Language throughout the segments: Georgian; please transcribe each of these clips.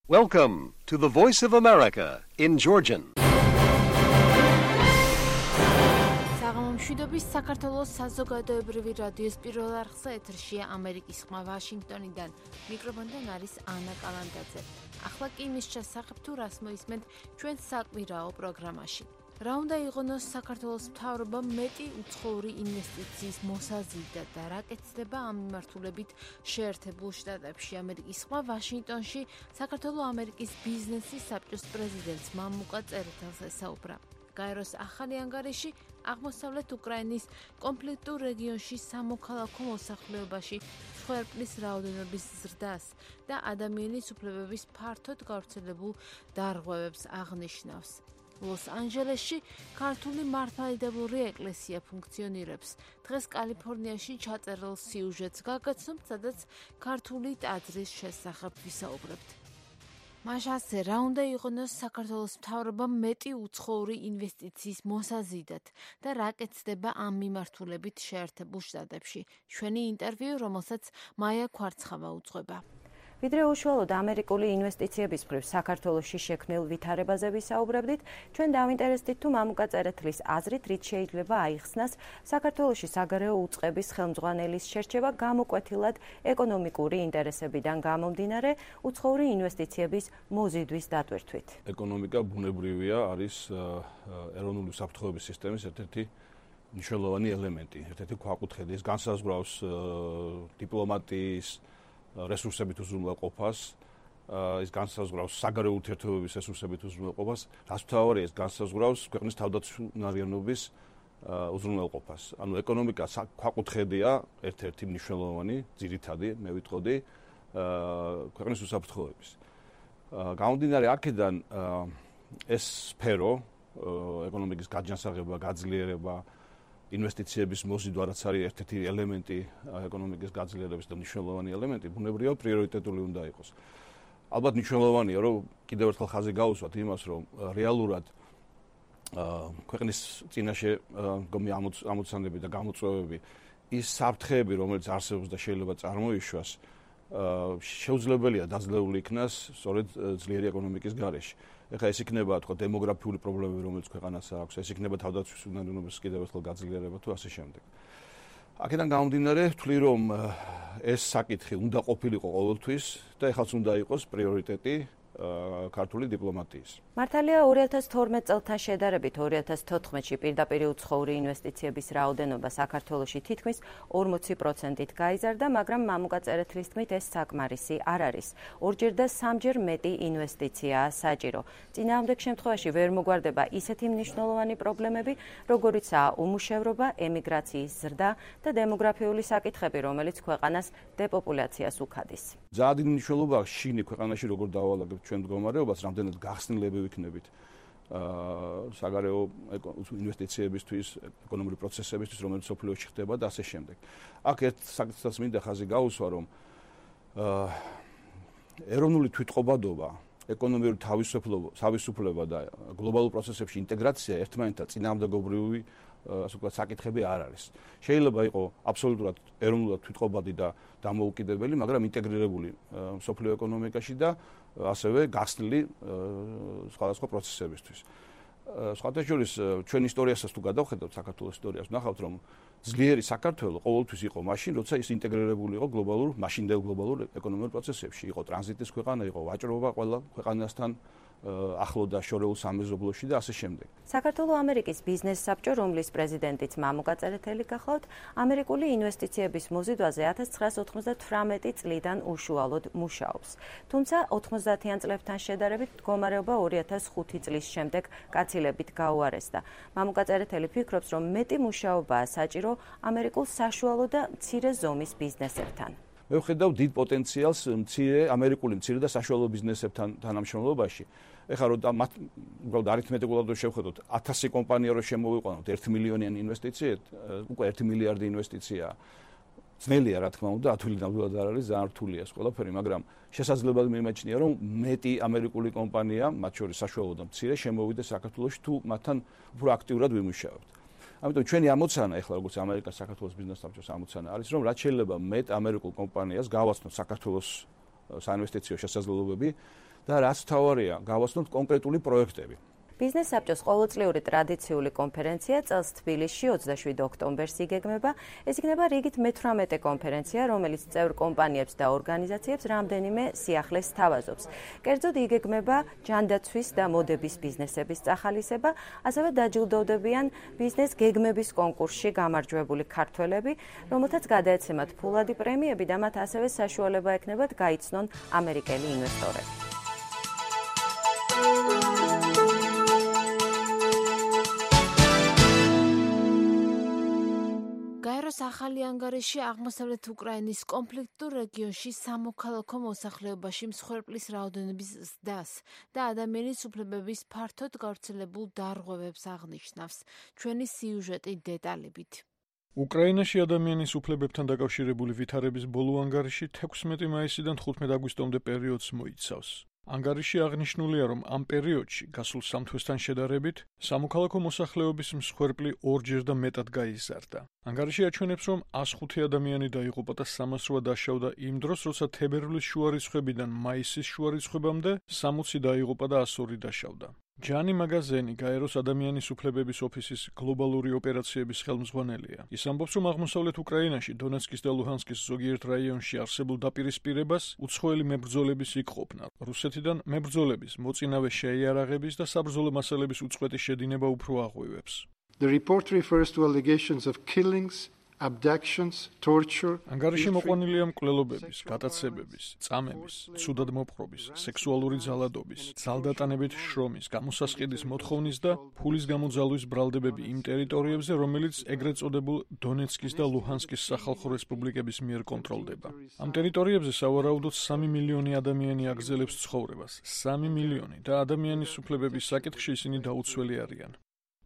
Welcome to the Voice of America in Georgian. მშვიდობის საქართველოს საზოგადოებრივი რადიოს პირველ არხზე ეთერშია ამერიკის ხმა ვაშინგტონიდან. მიკროფონთან არის ანა კალანდაძე. ახლა კი იმის შესახებ თუ რას მოისმენთ ჩვენ საკვირაო პროგრამაში. რა უნდა იყონოს საქართველოს მთავრობამ მეტი უცხოური ინვესტიციის მოსაზიდად და რა კეთდება ამ მიმართულებით შეერთებულ შტატებში. ამერიკის ხმა ვაშინგტონში საქართველო-ამერიკის ბიზნესის საბჭოს პრეზიდენტს მამუკა წერეთელს ესაუბრა. გაეროს ახალი ანგარიში აღმოსავლეთ უკრაინის კონფლიქტურ რეგიონში სამოქალაქო მოსახლეობაში მსხვერპლის რაოდენობის ზრდას და ადამიანის უფლებების ფართოდ გავრცელებულ დარღვევებს აღნიშნავს. ლოს-ანჯელესში ქართული მართლმადიდებლური ეკლესია ფუნქციონირებს. დღეს კალიფორნიაში ჩაწერილ სიუჟეტს გაგაცნობთ, სადაც ქართული ტაძრის შესახებ ვისაუბრებთ. მაშასე რა უნდა იყონოს საქართველოს მთავრობამ მეტი უცხოური ინვესტიციის მოსაზიდად და რა კეთდება ამ მიმართულებით შეერთებულ შტატებში. ჩვენი ინტერვიუ, რომელსაც მაია ქვარცხავა უძღვება. ვიდრე უშუალოდ ამერიკული ინვესტიციების მხრივ საქართველოში შექმნილ ვითარებაზე ვისაუბრებდით, ჩვენ დავინტერესდით თუ მამუკა წერეთლის აზრით რით შეიძლება აიხსნას საქართველოში საგარეო უწყების ხელმძღვანელის შერჩევა გამოკვეთილად ეკონომიკური ინტერესებიდან გამომდინარე უცხოური ინვესტიციების მოზიდვის დატვირთვით. ეკონომიკა ბუნებრივია, არის ეროვნული საფრთხეების სისტემის ერთ-ერთი მნიშვნელოვანი ელემენტი, ერთ-ერთი ქვაკუთხედი. ეს განსაზღვრავს დიპლომატიის რესურსებით უზრუნველყოფას, ის განსაზღვრავს საგარეო ურთიერთობების რესურსებით უზრუნველყოფას, რაც მთავარია, ეს განსაზღვრავს ქვეყნის თავდაცვნარიანობის უზრუნველყოფას. ანუ ეკონომიკა ქვაკუთხედია, ერთ-ერთი მნიშვნელოვანი, ძირითადი, მე ვიტყოდი, ქვეყნის უსაფრთხოების. გამომდინარე აქედან ეს სფერო, ეკონომიკის გაჯანსაღება, გაძლიერება, ინვესტიციების მოზიდვა, რაც არის ერთ-ერთი ელემენტი ეკონომიკის გაძლიერების და მნიშვნელოვანი ელემენტი, ბუნებრივია პრიორიტეტული უნდა იყოს. ალბათ მნიშვნელოვანია, რომ კიდევ ერთხელ ხაზი გაუსვათ იმას, რომ რეალურად ქვეყნის წინაშე მდგომი ამოცანები და გამოწვევები, ის საფრთხეები, რომელიც არსებობს და შეიძლება წარმოიშვას, შეუძლებელია დაძლეული იქნას სწორედ ძლიერი ეკონომიკის გარეშე. ეხლა ეს იქნება თქო დემოგრაფიული პრობლემები, რომელიც ქვეყანას აქვს, ეს იქნება თავდაცვის უნარიანობის კიდევ ერთხელ გაძლიერება თუ ასე შემდეგ. აქედან გამომდინარე, ვთვლი რომ ეს საკითხი უნდა ყოფილიყო ყოველთვის და ეხლაც უნდა იყოს პრიორიტეტი ქართული დიპლომატიის. მართალია 2012 წელთან შედარებით 2014-ში პირდაპირ უცხოური ინვესტიციების რაოდენობა საქართველოში თითქმის 40%-ით გაიზარდა, მაგრამ მამუკა წერეთლის თქმით ეს საკმარისი არ არის. ორჯერ და სამჯერ მეტი ინვესტიციაა საჭირო. წინააღმდეგ შემთხვევაში ვერ მოგვარდება ისეთი მნიშვნელოვანი პრობლემები, როგორიცაა უმუშევრობა, ემიგრაციის ზრდა და დემოგრაფიული საკითხები, რომელიც ქვეყანას დეპოპულაციას უქადის. ძალიან დიდი მნიშვნელობა აქვს შინი ქვეყანაში როგორ დავალაგებთ ჩვენ მდგომარეობას, რამდენად გახსნილები ვიქნებით საგარეო ინვესტიციებისთვის, ეკონომიკური პროცესებისთვის, რომელიც სოფლიოში ხდება და ასე შემდეგ. აქ ერთ საკითხსაც მინდა ხაზი გაუსვა, რომ ეროვნული თვითყობადობა, ეკონომიური თავისუფლება და გლობალურ პროცესებში ინტეგრაცია ერთმანეთთან წინააღმდეგობრივი ასე ვთქვათ საკითხები არ არის. შეიძლება იყოს აბსოლუტურად ეროვნულად თვითყობადი და დამოუკიდებელი, მაგრამ ინტეგრირებული სოფლიო ეკონომიკაში და ასევე გახსნილი სხვადასხვა პროცესებისთვის. სხვათა შორის ჩვენ ისტორიასაც თუ გადავხედავთ, საქართველოს ისტორიას, ვნახავთ, რომ ძლიერი საქართველო ყოველთვის იყო მაშინ, როცა ის ინტეგრირებული იყო მაშინდელ გლობალურ ეკონომიკურ პროცესებში. იყო ტრანზიტის ქვეყანა, იყო ვაჭრობა ყველა ქვეყანასთან ახლო და შორეულ სამეზობლოში და ასე შემდეგ. საქართველო-ამერიკის ბიზნეს საბჭო, რომლის პრეზიდენტიც მამუკა წერეთელი გახლავთ, ამერიკული ინვესტიციების მოზიდვაზე 1998 წლიდან უშუალოდ მუშაობს. თუმცა 90-იან წლებთან შედარებით მდგომარეობა 2005 წლის შემდეგ გაცილებით გაუარესდა. მამუკა წერეთელი ფიქრობს, რომ მეტი მუშაობაა საჭირო ამერიკულ საშუალო და მცირე ზომის ბიზნესებთან. მე ვხედავ დიდ პოტენციალს ამერიკული მცირე და საშუალო ბიზნესებთან თანამშრომლობაში. ეხლა რომ უბრალოდ არითმეტიკულად რომ შევხედოთ 1000 კომპანია რომ შემოვიყვანოთ 1 მილიონიანი ინვესტიციით, უკვე 1 მილიარდი ინვესტიცია. ძნელია რა თქმა უნდა, ათვილი ნამდვილად არ არის, ძალიან რთულია ეს ყველაფერი, მაგრამ შესაძლებლად მიმაჩნია რომ მეტი ამერიკული კომპანია, მათ შორის საშუალო და მცირე, შემოვიდეს საქართველოში თუ მათთან უფრო აქტიურად ვიმუშაებთ. ამიტომ ჩვენი ამოცანა ეხლა როგორც ამერიკას საქართველოს ბიზნეს საბჭოს ამოცანა არის რომ რაც შეიძლება მეტ ამერიკულ კომპანიას გავაცნოთ საქართველოს საინვესტიციო შესაძლებლობები და რაც თავარია, გავაცნოთ კონკრეტული პროექტები. ბიზნეს საბჭოს ყოველწლიური ტრადიციული კონფერენცია წელს თბილისში 27 ოქტომბერს იგეგმება. ეს იქნება რიგით მე-18 კონფერენცია, რომელიც წევრ კომპანიებს და ორგანიზაციებს რამდენიმე სიახლეს სთავაზობს. კერძოდ იგეგმება ჯანდაცვის და მოდების ბიზნესების წახალისება, ასევე დაჯილდოვდებიან ბიზნეს გეგმების კონკურსში გამარჯვებული ქართველები, რომელთაც გადაეცემათ ფულადი პრემიები და მათ ასევე საშუალება ექნებათ გაიცნონ ამერიკელი ინვესტორები. გაეროს ახალი ანგარიში აღმოსავლეთ უკრაინის კონფლიქტურ რეგიონში სამოქალაქო მოსახლეობაში მსხვერპლის რაოდენობის ზრდას და ადამიანის უფლებების ფართოდ გავრცელებულ დარღვევებს აღნიშნავს. ჩვენი სიუჟეტი დეტალებით. უკრაინაში ადამიანის უფლებებთან დაკავშირებული ვითარების ბოლო ანგარიში 16 მაისიდან 15 აგვისტომდე პერიოდს მოიცავს. ანგარიში აღნიშნულია, რომ ამ პერიოდში, გასულ 3 თვესთან შედარებით, სამოქალაქო მოსახლეობის მსხვერპლი 2-ჯერ და მეტად გაიზარდა. ანგარიში აჩვენებს, რომ 105 ადამიანი დაიღუპა და 308 დაშავდა იმ დროს, როცა თებერვლის შუა რიცხვებიდან მაისის შუა რიცხვებამდე 60 დაიღუპა და 102 დაშავდა. ჯანი მაგაზენი, გაეროს ადამიანის უფლებების ოფისის გლობალური ოპერაციების ხელმძღვანელია. ის ამბობს, რომ აღმოსავლეთ უკრაინაში, დონეცკის და ლუჰანსკის ზოგიერთ რაიონში არსებულ დაპირისპირებას უცხოელი მებრძოლების იქ ყოფნა. რუსეთიდან მებრძოლების, მოწინავე შეიარაღების და საბრძოლო მასალების უწყვეტი შედინება უფრო აღვივებს. The report refers to allegations of killings, abductions, torture. ანგარიში მოყვანილია მკვლელობების, გატაცებების, წამების, ცუდად მოპყრობის, სექსუალური ძალადობის, ძალდატანებით შრომის, გამოსასყიდის მოთხოვნის და ფულის გამოძალვის ბრალდებები იმ ტერიტორიებზე, რომელიც ეგრეთ წოდებულ დონეცკის და ლუჰანსკის სახალხო რესპუბლიკების მიერ კონტროლდება. ამ ტერიტორიებზე სავარაუდოდ 3 მილიონი ადამიანი აგრძელებს ცხოვრებას, 3 მილიონი და ადამიანის უფლებების საკითხში ისინი დაუცველი არიან.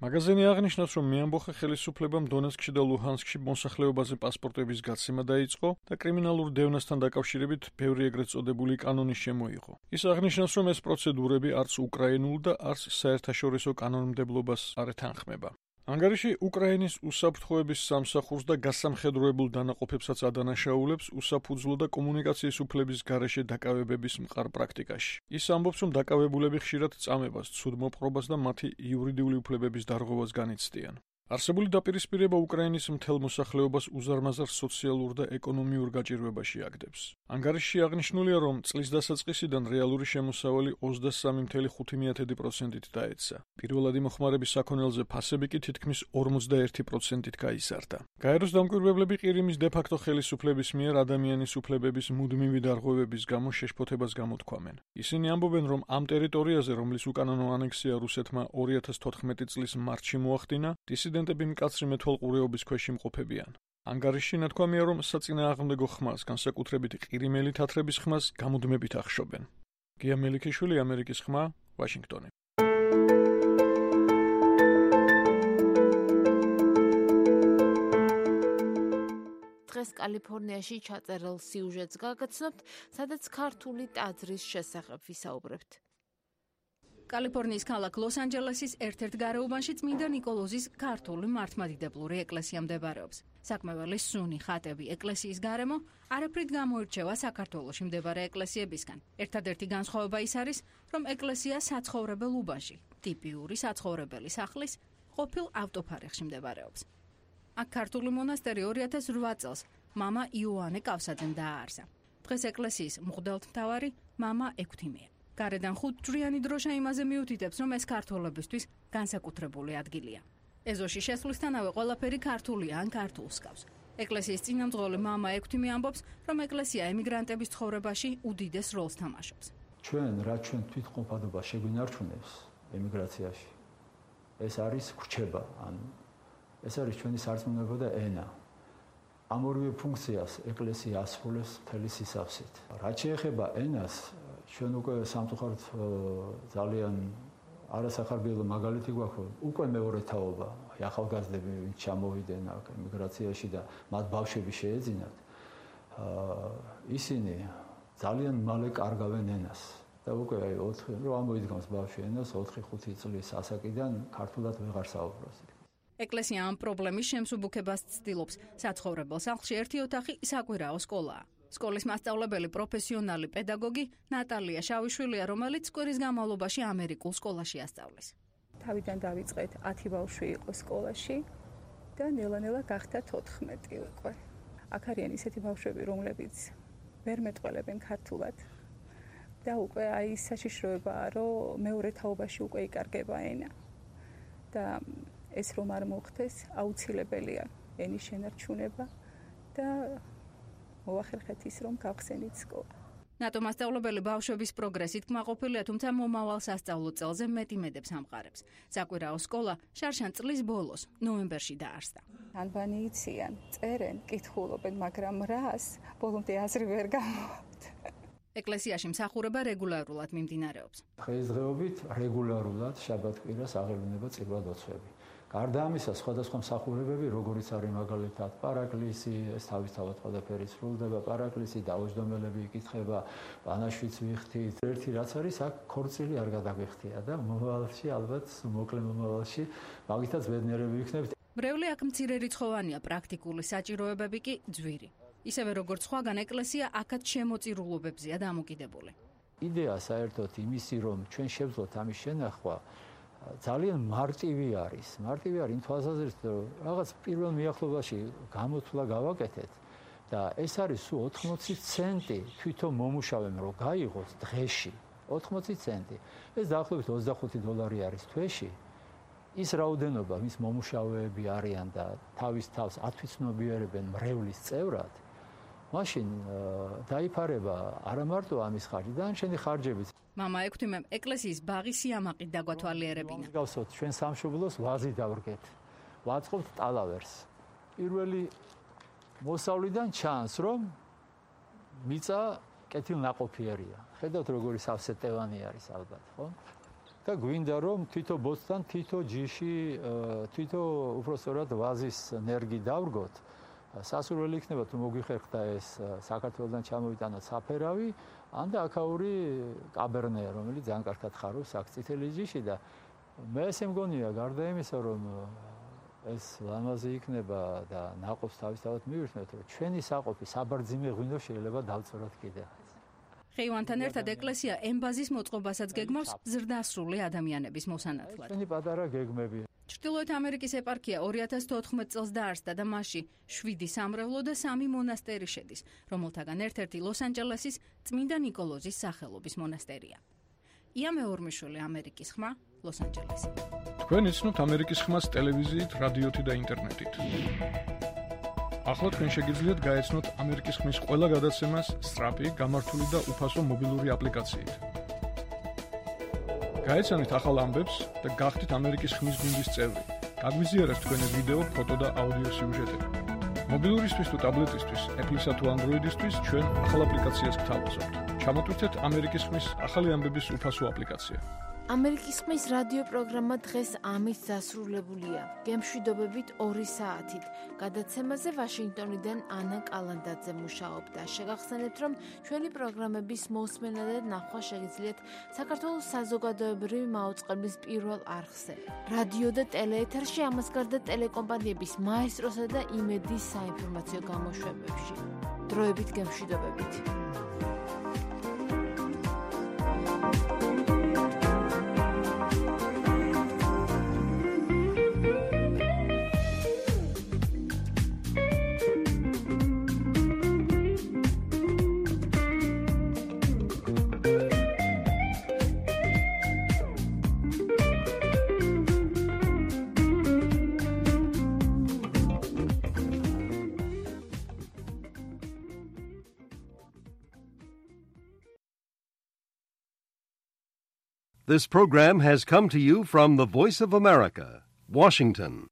მაგაზენი აღნიშნავს, რომ მეამბოხე ხელისუფლებამ დონეცკში და ლუჰანსკში მოსახლეობაზე პასპორტების გაცემა დაიწყო და კრიმინალურ დევნასთან დაკავშირებით ბევრი ეგრეთ წოდებული კანონი შემოიღო. ის აღნიშნავს, რომ ეს პროცედურები არც უკრაინულ და არც საერთაშორისო კანონმდებლობას არ ეთანხმება. ანგარიში უკრაინის უსაფრთხოების სამსახურს და გასამხედროებულ დანაყოფებსაც ადანაშაულებს უსაფუძვლო და კომუნიკაციის უფლების გარეშე დაკავებების მყარ პრაქტიკაში. ის ამბობს, რომ დაკავებულები ხშირად წამებას, ცუდმოპყრობას და მათი იურიდიული უფლებების დარღვევას განიცდიან. არსებული დაპირისპირება უკრაინის მთელ მოსახლეობას უზარმაზარ სოციალურ და ეკონომიურ გაჭირვებაში აგდებს. ანგარიში აღნიშნულია, რომ წლის დასაწყისიდან რეალური შემოსავალი 23.5%-ით დაეცა. პირველადი მოხმარების საქონელზე ფასები კი თითქმის 41%-ით გაიზარდა. გაეროს დამკვირვებლები ყირიმის დე-ფაქტო ხელისუფლების მიერ ადამიანის უფლებების მუდმივი დარღვევების გამო შეშფოთებას გამოთქვამენ. ისინი ამბობენ, რომ ამ ტერიტორიაზე, რომლის უკანონო ანექსია რუსეთმა 2014 წლის მარტში მოახდინა, დისიდენტები მკაცრი მეთვალყურეობის ქვეშ იმყოფებიან. ანგარიში ნათქვამია, რომ საწინააღმდეგო ხმას, განსაკუთრებით ყირიმელი თათრების ხმას, გამუდმებით ახშობენ. გია მელიქიშვილი, ამერიკის ხმა, ვაშინგტონი. დღეს კალიფორნიაში ჩაწერილ სიუჟეტს გაგაცნობთ, სადაც ქართული ტაძრის შესახებ ვისაუბრებთ. კალიფორნიის ქალაქ ლოს-ანჯელესის ერთ-ერთ გარეუბანში წმინდა ნიკოლოზის ქართული მართლმადიდებლური ეკლესია მდებარეობს. საკმეველის სუნი ხატები ეკლესიის გარემო არაფრით გამოირჩევა საქართველოში მდებარე ეკლესიებისგან. ერთადერთი განსხვავება ის არის, რომ ეკლესია საცხოვრებელ უბანში, ტიპიური საცხოვრებელი სახლის ყოფილ ავტოფარეხში მდებარეობს. აქ ქართული მონასტერი 2008 წელს მამა იოანე კავსაძემ დააარსა. დღეს ეკლესიის მღვდელმთავარი მამა ექვთიმეა. გარედან 5 ჯვრიანი დროშა იმაზე მიუთითებს, რომ ეს ქართველებისთვის განსაკუთრებული ადგილია. ეზოში შესვლისთანავე ყველაფერი ქართულია ან ქართულს ჰგავს. ეკლესიის წინამძღოლი მამა ექვთიმე ამბობს, რომ ეკლესია ემიგრანტების ცხოვრებაში უდიდეს როლს თამაშობს. ჩვენ თვითმყოფადობა შეგვინარჩუნებს ემიგრაციაში. ეს არის ხრჩება, ანუ ეს არის ჩვენი სარწმუნოება და ენა. ამ ორივე ფუნქციას ეკლესია ასრულებს მთელი სისავსით. რაც შეეხება ენას, ჩვენ უკვე სამწუხაროდ ძალიან არასახარბიელო მაგალითი გვაქვს, უკვე მეორე თაობა, ახალგაზრდები ვინც ჩამოვიდნენ აქ ემიგრაციაში და მათ ბავშვები შეეძინათ, ისინი ძალიან მალე კარგავენ ენას. და უკვე რომ ამოიდგამს ბავშვი ენას 4-5 წლის ასაკიდან ქართულად ვეღარ საუბრობს. ეკლესია ამ პრობლემის შემსუბუქებას ცდილობს. საცხოვრებელ სახლში ერთი ოთახი საკვირაო სკოლაა. სკოლის მასწავლებელი პროფესიონალი პედაგოგი ნატალია შავიშვილია, რომელიც სკვირის განმავლობაში ამერიკულ სკოლაში ასწავლის. თავიდან დავიწყეთ 10 ბავშვი იყო სკოლაში და ნელა-ნელა გახდა 14 უკვე. აქ არიან ისეთი ბავშვები, რომლებიც ვერ მეტყველებენ ქართულად და უკვე აი საშიშროებაა, რომ მეორე თაობაში უკვე იკარგება ენა. და ეს რომ არ მოხდეს, აუცილებელია ენის შენარჩუნება და მოახერხეთ ის, რომ გავხსენით სკოლა. ნატო მასწავლებელი ბავშვების პროგრესით კმაყოფილია, თუმცა მომავალ სასწავლო წელზე მეტიმედებს ამყარებს. საკვირაო სკოლა შარშან წლის ბოლოს, ნოემბერში დაარსდა. ანბანი იციან, წერენ, კითხულობენ, მაგრამ რას ბოლომდე აზრი ვერ გამოვართ. ეკლესიაში მსახურება რეგულარულად მიმდინარეობს. დღესდღეობით რეგულარულად შაბათ-კვირას აღევლინება წირვა-დოცვები. გარდა ამისა, სხვადასხვა მსახურებები, როგორიც არის მაგალითად პარაკლისი, ეს თავისთავად ყველაფერი სრულდება, პარაკლისი, დაუჯდომელები იკითხება, ბანაშვიც ვიხდით. ერთი რაც არის, აქ ქორწილი არ გადაგვიხდია და მომავალში, ალბათ მოკლე მომავალში, მაგითაც ბედნიერები ვიქნებით. მრევლი აქ მცირერიცხოვანია, პრაქტიკული საჭიროებები კი ძვირი. ისევე როგორც სხვაგან ეკლესია აქაც შემოწირულობებზეა დამოკიდებული. იდეა საერთოდ იმისი, რომ ჩვენ შევძლოთ ამის შენახვა, ძალიან მარტივი არის. მარტივი არის იმ თვალსაზრისით, რომ რაღაც პირველ მიახლობაში გამოთვლა გავაკეთეთ და ეს არის სულ 80 ცენტი თვითონ მომუშავემ რომ გაიღოს დღეში. 80 ცენტი. ეს დაახლოებით $25 არის თვეში. ის რაოდენობა მის მომუშავეები არიან და თავის თავს ათვისნობიერებენ მრევლის წევრად. მაშინ დაიფარება არა მარტო ამის ხარჯი, დანარჩენი ხარჯებიც. მამა ექვთიმემ ეკლესიის ბაღი სიამაყით დაგვათვალიერებინა. მსგავსად ჩვენ სამშობლოს ვაზი დავრგეთ. ვაწყობთ ტალავერს. პირველი მოსავლიდან ჩანს, რომ მიწა კეთილნაყოფიერია. ხედავთ როგორი სავსე ტევანი არის ალბათ, ხო? და გვინდა რომ თითო ბოძთან, თითო ჯიში, თითო უბრალოდ ვაზის ნერგი დავრგოთ. სასურველი იქნება თუ მოგვიხერხდა ეს საქართველოსთან ჩამოვიტანოთ საფერავი, ან და აქაური კაბერნე, რომელიც ძალიან კარგად ხარობს აქ წითელი ჯიში და მე ესე მგონია, გარდა იმისა, რომ ეს ლამაზი იქნება და ნაყოფს თავისთავად მივირთმევთ, რომ ჩვენი საყოფი საბარძიმე ღვინო შეიძლება დავწოროთ კიდე. ხეივანთან ერთად ეკლესია ემბაზის მოწყობასაც გეგმავს ზრდასრული ადამიანების მოსანათლად. ჩვენი პატარა გეგმები. ჩრდილოეთ ამერიკის ეპარქია 2014 წელს დაარსდა და მასში 7 სამრევლო და 3 მონასტერი შედის, რომელთაგან ერთ-ერთი ლოს-ანჯელესის წმინდა ნიკოლოზის სახელობის მონასტერია. ია მეორმიშვილი, ამერიკის ხმა, ლოს-ანჯელესი. თქვენ იცნობთ ამერიკის ხმას ტელევიზიით, რადიოთი და ინტერნეტით. ახლა თქვენ შეგიძლიათ გაეცნოთ ამერიკის ხმის ყველა გადაცემას სწრაფი, გამართული და უფასო მობილური აპლიკაციით. გაეცანით ახალ ამბებს და გახდით ამერიკის ხმის გუნდის წევრი. გაგვიზიარეთ თქვენი ვიდეო, ფოტო და აუდიო სიუჟეტები. მობილურისთვის თუ ტაბლეტისთვის, Apple-ისა თუ Android-ისთვის ჩვენ ახალ აპლიკაციას გთავაზობთ. ჩამოტვირთეთ ამერიკის ხმის ახალი ამბების უფასო აპლიკაცია. ამერიკის ხმის რადიო პროგრამა დღეს ამით დასრულებულია. გემშვიდობებით 2 საათით. გადაცემაზე ვაშინგტონიდან ანა კალანდაძე მუშაობდა. შეგახსენებთ, რომ ჩვენი პროგრამების მოსმენა და ნახვა შეგიძლიათ საქართველოს საზოგადოებრივი მაუწყებლის პირველ არხზე. რადიო და ტელეეთერში, ამას გარდა ტელეკომპანიების მაესტროსა და იმედის საინფორმაციო გამოშვებებში. დროებით გემშვიდობებით. This program has come to you from the Voice of America, Washington.